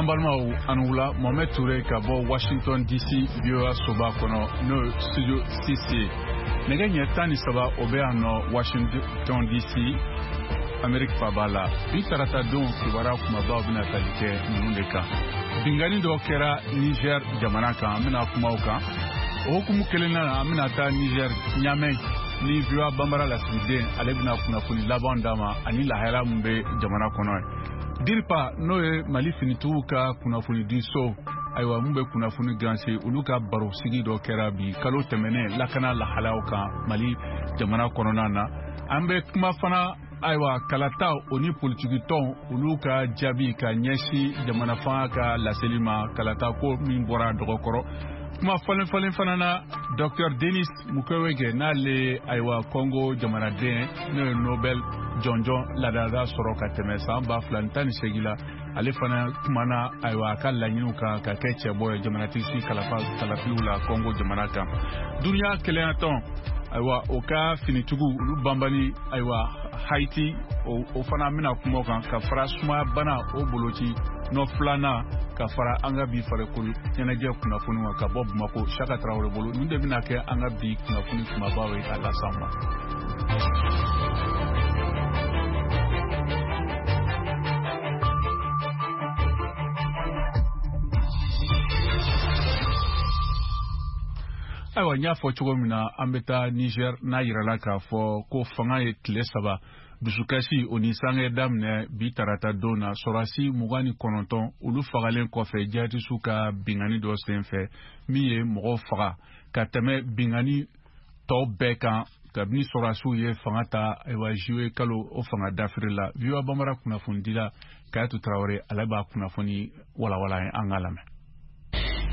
Balimaw, aw ni wula. Mohamed Touré ka bɔ Washington DC, VOA soba kɔnɔ, n'o ye studio 6 ye. Nɛgɛ ɲɛ 13, o bɛ yan nɔ Washington DC, Amerique faba la. Bi tarata don kibaruya kumabaw bɛna tali kɛ ninnu de kan: binkanni dɔ kɛra Niger jamana kan, an bɛna kuma o kan. O hukumu kelen na, an bɛna taa Niger, Ɲamɛ, ni VOA Banbara lasigiden, ale bɛna kunnafoni laban d'a ma ani lahala min bɛ jamana kɔnɔ ye. DIRPA, n'o ye Mali finitigiw ka kunnafonidiso, ayiwa, mun bɛ kunnafoni ganse, olu ka barosigi dɔ kɛra bi kalo tɛmɛnen lakana lahalaw kan Mali jamana kɔnɔna na. An bɛ kuma fana, ayiwa, kalata o ni politikitɔn olu ka jaabi ka ɲɛsin jamana fanga ka laseli ma, kalata ko min bɔra dɔgɔkɔrɔ. Kuma falen falen fana na, Dr Denis Mukwege, n'ale, ayiwa, Congo jamanaden, n'o ye Nobel jɔnjɔn ladala sɔrɔ ka tɛmɛ san 2018 la, ale fana kumana, ayiwa, a ka laɲiniw kan ka kɛ cɛbɔ ye jamanatigi kalafiliw la Congo jamana kan. Duniya kelenyatɔn, ayiwa, o ka finitigiw olu banbani, ayiwa, Haiti, o fana bɛna kuma o kan, ka fara sumaya bana o boloci nɔ filanan, ka fara an ka bi farikolo ɲɛnajɛ kunnafoni kan ka bɔ Bamako, Saka Tarawele bolo. Nin de bɛna kɛ an ka bi kunnafoni kumabaw ye ka las'an ma. Ayiwa, n y'a fɔ cogo min na, an bɛ taa Niger. N'a yirala k'a fɔ ko fanga ye tile 3 dusukasi o ni sange daminɛ bi tarata don na, sɔrɔdasi 29 olu fagalen kɔfɛ jihadisiw ka bingani dɔ senfɛ, min ye mɔgɔw faga ka tɛmɛ bingani tɔw bɛɛ kan kabini sɔrɔdasiw ye fanga ta, ayiwa, juillet kalo o fanga dafiri la. VOA Bambara kunnafonidila Kayatu Tarawele, ale b'a kunnafoni walawala ye, an k'a lamɛn.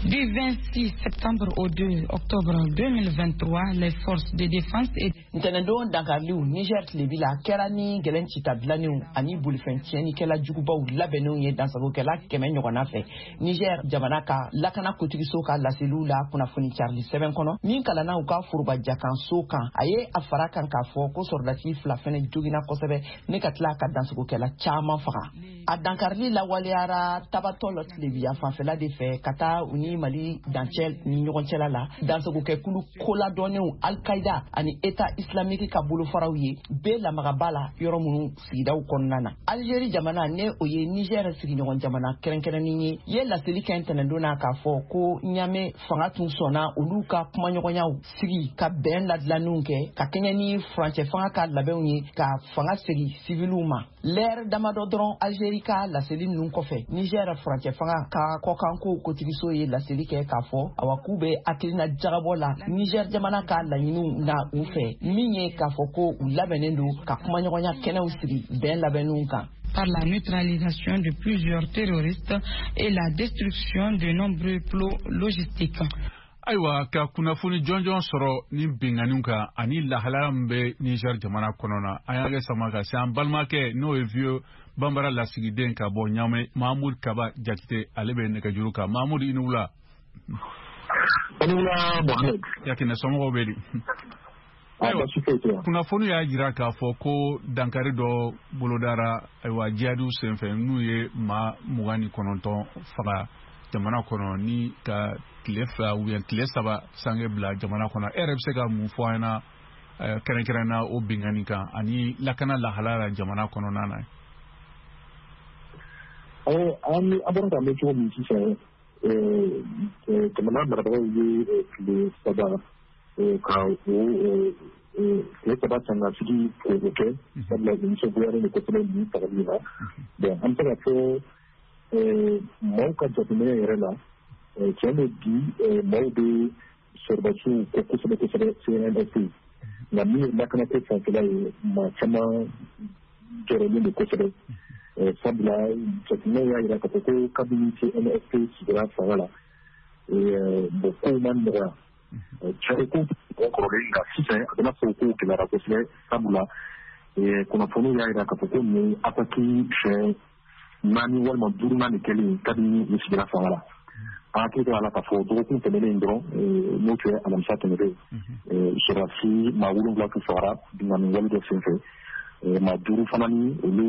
Du 26 septembre au 2 octobre 2023, les forces de défense et Ntɛnɛndon dankariliw Niger tilebi la kɛra ni gɛlɛn cita dilannenw ani bolifɛn tiɲɛnikɛla jugubaw labɛnnenw ye dansagokɛla 100 ɲɔgɔnna fɛ. Niger jamana ka lakana kotigiso ka laseliw la, kunnafoni carili sɛbɛn kɔnɔ min kalanna u ka foroba jakanso kan, a ye a fara kan k'a fɔ ko sɔrɔdasi fila fɛnɛ jogina kosɛbɛ ne ka tila ka dansagokɛla caman faga. A dankarili lawaleyara Tabatɔ lɔ tilebiya fanfɛla de fɛ ka taa u ni Mali dancɛ ni ɲɔgɔn cɛla la. Dansagokɛkulu koladɔnnenw Alkaida ani État islamique ka bolofaraw ye bɛɛ lamagaba la yɔrɔ minnu sigidaw kɔnɔna na. Algérie jamana, ne o ye Niger sigiɲɔgɔn jamana kɛrɛnkɛrɛnnen ye, ye laseli kɛ ntɛnɛndon na k'a fɔ ko Ɲame fanga tun sɔnna olu ka kumaɲɔgɔnyaw sigi ka bɛn ladilanniw kɛ ka kɛɲɛ ni furancɛ fanga ka labɛnw ye ka fanga segi siviliw ma. Lɛrɛ damadɔ dɔrɔn Algérie ka laseli ninnu kɔfɛ, Niger furancɛ fanga ka kɔkanko kotigiso ye laseli kɛ k'a fɔ, awa, k'u bɛ hakilina jagabɔ la Niger jamana ka laɲiniw na u fɛ, min ye k'a fɔ ko u labɛnnen don ka kumaɲɔgɔnya kɛnɛw sigi bɛn labɛnninw kan. Par la neutralisation de plusieurs terroristes et la destruction de nombreux plots logistiques. Ayiwa, ka kunnafoni jɔnjɔn sɔrɔ ni binganiw kan ani lahalaya min bɛ Niger jamana kɔnɔ na, an y'a kɛ sama ka se an balimakɛ, n'o ye VOA Banbara lasigiden ka bɔ Ɲamɛ, Mahamudu Kaba Jakite, ale bɛ nɛgɛjuru kan. Mahamudu, i ni wula. I ni wula, Mohamed. Yakinɛ, somɔgɔw bɛ di? Ayiwa, kunnafoni y'a jira k'a fɔ ko dankari dɔ bolodara, ayiwa, jihadiw senfɛ, n'u ye maa 29 faga jamana kɔnɔ ni ka tile 2 ou bien tile 3 sange bila jamana kɔnɔ. E yɛrɛ bɛ se ka mun fɔ an ɲɛna kɛrɛnkɛrɛn na o binkanni kan ani lakana lahalaya la jamana kɔnɔna na? An bɔra k'a mɛn cogo min sisan, jamana marabagaw ye tile 3 ka o tile 3 sangasigi k'o kɛ, sabula u nisɔngoyalen don kosɛbɛ nin fagali in na. Bon, an bɛ se ka fɔ maaw ka jateminɛ yɛrɛ la, tiɲɛ don, bi maaw bɛ sɔrɔdasiw kɔ kosɛbɛ kosɛbɛ, CNSP, nka min ye lakanako fanfɛla ye, maa caman jɔrɔlen don kosɛbɛ, sabula jateminɛw y'a jira k'a fɔ ko kabini CNSP sigira fanga la, bon, kow ma nɔgɔya cɛ ko kɔrɔlen, nka sisan a bɛna fɔ ko gɛlɛyara kosɛbɛ, sabula kunnafoniw y'a jira k'a fɔ ko nin ye attaque siɲɛ naani walima duurunan de kɛlen kabini u sigira fanga la. An hakili to a la k'a fɔ dɔgɔkun tɛmɛnen dɔrɔn, n'o tun ye alamisa tɛmɛnen, sɔrɔdasi maa wolonwula tun fagara binkanni wale dɔ senfɛ, maa duuru fana ni olu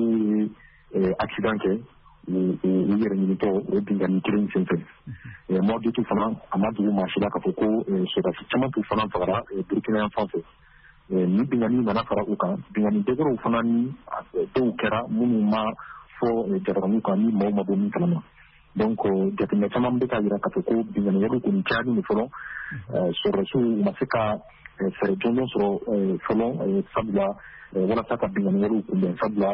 ye accident kɛ. U yɛrɛ ɲinitɔ o binkanni kelen senfɛ. Mois d'août fana, a ma dogo maa si la k'a fɔ ko sɔrɔdasi caman tun fana fagara Burukina yan fan fɛ. Ni binkanni nana fara u kan, binkanni dɔwɛrɛw fana ni dɔw kɛra minnu ma fɔ jabaraniw kan ni maaw ma bɔ min kalama. Donc jateminɛ caman bɛ ka yira k'a fɔ ko binkanni walew kɔni cayalen don fɔlɔ. Sɔrɔdasiw u ma se ka fɛɛrɛ jɔnjɔn sɔrɔ fɔlɔ, sabula walasa ka binkanni walew kunbɛn, sabula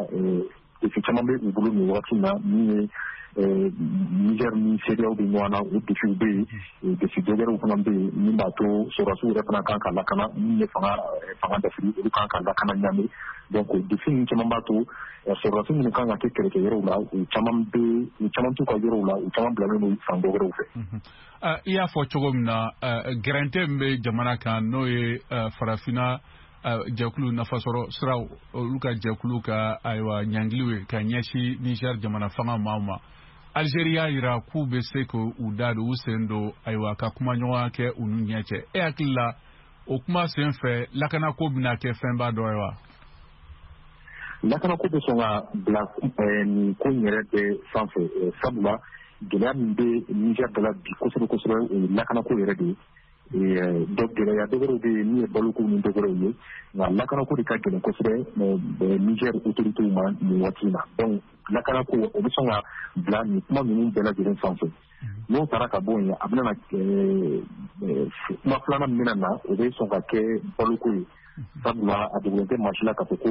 défi caman bɛ u bolo nin wagati in na. Min ye Niger ni CEDEAO bɛ ɲɔgɔn na, o défiw bɛ yen. Défi dɔwɛrɛw fana bɛ yen min b'a to sɔrɔdasiw yɛrɛ fana kan ka lakana, min ye fanga dafiri, olu kan ka lakana Ɲame. Donc défi ninnu caman b'a to sɔrɔdasi minnu kan ka kɛ kɛlɛkɛyɔrɔw la, u caman bɛ, u caman t'u ka yɔrɔw la, u caman bilalen don fan dɔ wɛrɛw fɛ. I y'a fɔ cogo min na, gɛrɛntɛ min bɛ jamana kan, n'o ye farafinna jɛkulu nafasɔrɔ siraw olu ka jɛkulu ka ayiwa ɲangiliw ye ka ɲɛsin Niger jamana fanga maaw ma, Algérie y'a yira k'u bɛ se k'u da don, u sen don, ayiwa, ka kumaɲɔgɔnya kɛ u n'u ɲɛ cɛ. E hakili la, o kuma sen fɛ, lakanako bɛna kɛ fɛnba dɔ ye wa? Lakanako bɛ sɔn ka bila nin ko in yɛrɛ bɛɛ sanfɛ, sabula gɛlɛya min bɛ Niger da la bi kosɛbɛ kosɛbɛ, o ye lakanako yɛrɛ de ye. Dɔ gɛlɛya dɔ wɛrɛw bɛ yen min ye baloko ni dɔ wɛrɛw ye, nka lakanako de ka gɛlɛn kosɛbɛ Niger autorités ma nin waati in na. Donc lakanako, o bɛ sɔn ka bila nin kuma ninnu bɛɛ lajɛlen sanfɛ. N'o taara ka bɔ yen, a bɛna na kuma filanan min bɛna na, o bɛ sɔn ka kɛ baloko ye, sabula a dogolen tɛ maa si la k'a fɔ ko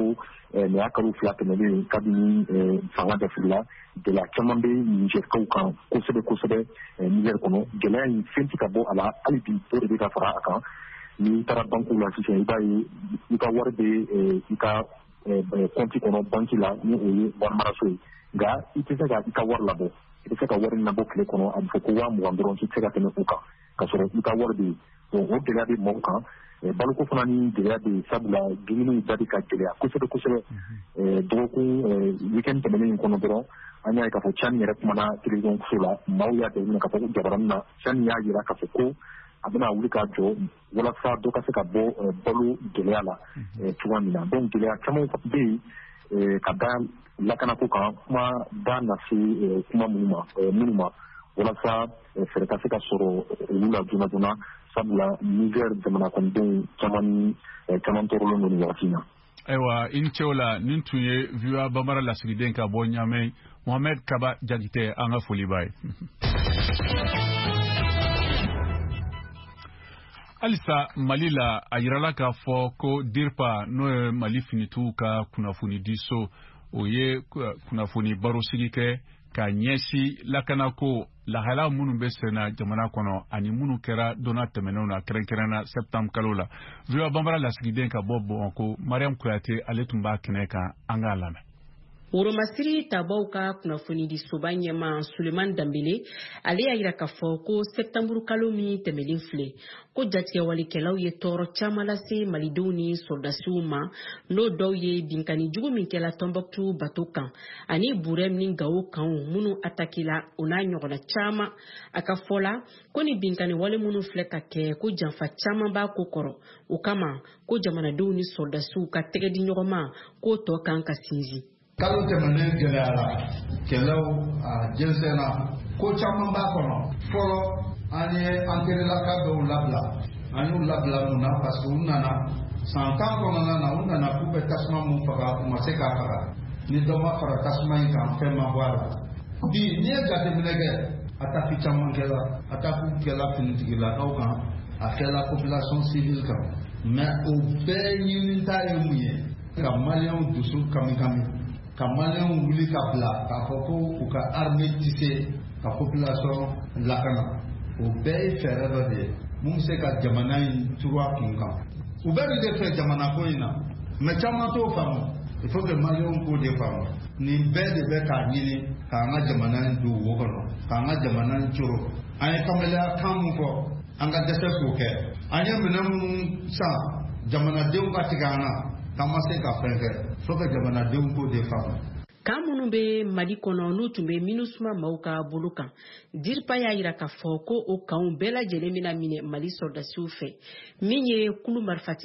nin y'a kalo 2 tɛmɛnen kabini fanga dafirila. Gɛlɛya caman bɛ Nizɛrikaw kan kosɛbɛ kosɛbɛ Nizɛri kɔnɔ. Gɛlɛya in, fɛn tɛ ka bɔ a la hali bi, dɔ de bɛ ka fara a kan. N'i taara bankiw la sisan, i b'a ye i ka wari bɛ i ka kɔnti kɔnɔ banki la, ni o ye wari maraso ye, nka i tɛ se ka i ka wari labɔ. I bɛ se ka wari labɔ tile kɔnɔ, a bɛ fɔ ko 20 000 dɔrɔn, k'i tɛ se ka tɛmɛ o kan, ka sɔrɔ i ka wari bɛ yen. Donc o gɛlɛya bɛ maaw kan. Baloko fana ni gɛlɛya bɛ yen, sabula dumuniw da bɛ ka gɛlɛya kosɛbɛ kosɛbɛ. Dɔgɔkun weekend tɛmɛnen in kɔnɔ dɔrɔn, an y'a ye k'a fɔ Tiani yɛrɛ kumana télévision so la. Maaw y'a jateminɛ k'a fɔ ko jabaranin na, Tiani y'a jira k'a fɔ ko a bɛna wuli k'a jɔ walasa dɔ ka se ka bɔ balo gɛlɛya la cogoya min na. Donc gɛlɛya caman bɛ yen ka da lakanako kan. Kuma da na se kuma minnu ma walasa fɛɛrɛ ka se ka sɔrɔ olu la joona joona, sabula Niger jamana kɔnɔdenw caman ni caman tɔɔrɔlen don nin wagati in na. Ayiwa, i ni ce o la. Nin tun ye VOA Bambara lasigiden ka bɔ Ɲamɛ, Mohamed Kaba Jakite, an ka foli b'a ye. Halisa Mali la, a yirala k'a fɔ ko DIRPA, n'o ye Mali finitigiw ka kunnafonidiso, o ye kunnafoni barosigi kɛ ka ɲɛsin lakanako lahala minnu bɛ senna jamana kɔnɔ ani minnu kɛra donna tɛmɛnenw na, kɛrɛnkɛrɛnna septembre kalo la. VOA Bambara lasigiden ka bɔ Bamakɔ, Mariam Kuyate, ale tun b'a kɛnɛ kan. An k'a lamɛn. Woromasiri tabaw ka kunnafonidisoba ɲɛma Suleman Danbele, ale y'a yira k'a fɔ ko sɛptanburu kalo min tɛmɛlen filɛ, ko jatigɛwalikɛlaw ye tɔɔrɔ caman lase malidenw ni sɔrɔdasiw ma, n'o dɔw ye binkanni jugu min kɛla Tɔnbɔkutu bato kan ani Burɛm ni Gawo kanw minnu atakila, o n'a ɲɔgɔnna caman. A ka fɔ la ko ni binkanni wale minnu filɛ ka kɛ, ko janfa caman b'a ko kɔrɔ. O kama ko jamanadenw ni sɔrɔdasiw ka tɛgɛ di ɲɔgɔn ma, k'o tɔ kan ka sinsin. Kalo tɛmɛnen gɛlɛyara, kɛlɛw a jɛnsɛnna, ko caman b'a kɔnɔ. Fɔlɔ, an ye an terilaka dɔw labila. An y'u labila mun na? Parce que u nana san 10 kɔnɔna na, u nana k'u bɛ tasuma mun faga, u ma se k'a faga. Ni dɔ ma fara tasuma in kan, fɛn ma bɔ a la. Bi, n'i ye jateminɛ kɛ, attaque caman kɛla, attaque kɛla finitigilakaw kan, a kɛla population civile kan, mais o bɛɛ ɲinita ye mun ye? Ka maliyɛnw dusu kami kami, ka maliyɛnw wuli ka bila k'a fɔ ko u ka armée tɛ se ka population lakana. O bɛɛ ye fɛɛrɛ dɔ de ye mun bɛ se ka jamana in turu a kun kan. U bɛɛ bɛ de fɛ jamana ko in na, mais caman t'o faamu. Il faut que maliyɛnw k'o de faamu. Nin bɛɛ de bɛ k'a ɲini k'an ka jamana in don wo kɔnɔ, k'an ka jamana in coro. An ye kamalenya kan mun fɔ, an ka dɛsɛ k'o kɛ. An ye minɛn minnu san, jamanadenw ka tigɛ an na k'an ma se ka fɛn kɛ. Faut que jamanadenw k'o de faamu. Kan minnu bɛ Mali kɔnɔ, n'u tun bɛ MINUSMA maaw ka bolo kan, DIRPA y'a yira k'a fɔ ko o kanw bɛɛ lajɛlen bɛna minɛ Mali sɔrɔdasiw fɛ. Min ye kulu marifatigi